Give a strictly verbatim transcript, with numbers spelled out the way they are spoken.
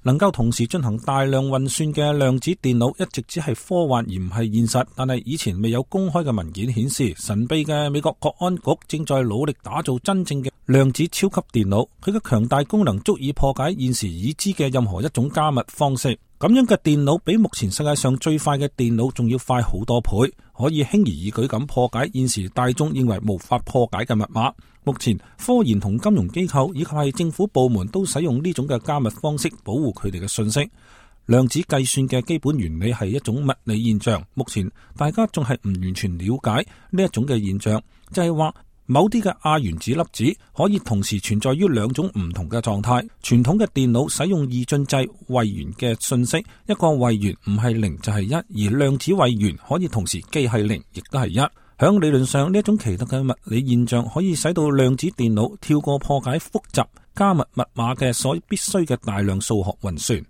能夠同時進行大量運算嘅量子電腦一直只係科幻而唔係現實，但係以前未有公開嘅文件顯示，神秘嘅美國國安局正在努力打造真正嘅量子超級電腦，佢嘅強大功能足以破解現時已知嘅任何一種加密方式。咁樣嘅電腦比目前世界上最快嘅電腦仲要快好多倍，可以輕而易舉咁破解現時大眾認為無法破解嘅密碼。目前科研同金融機構以及係政府部門都使用呢種嘅加密方式保護佢哋嘅信息。量子計算嘅基本原理係一種物理現象，目前大家仲係唔完全了解呢一種嘅現象，就係話某啲嘅亞原子粒子可以同時存在於兩種唔同嘅狀態。傳統嘅電腦使用二進制位元嘅信息，一個位元唔係零就係一，而量子位元可以同時既係零亦都係一。響理論上，呢一種奇特嘅物理現象可以使到量子電腦跳過破解複雜加密密碼嘅所必須嘅大量數學運算。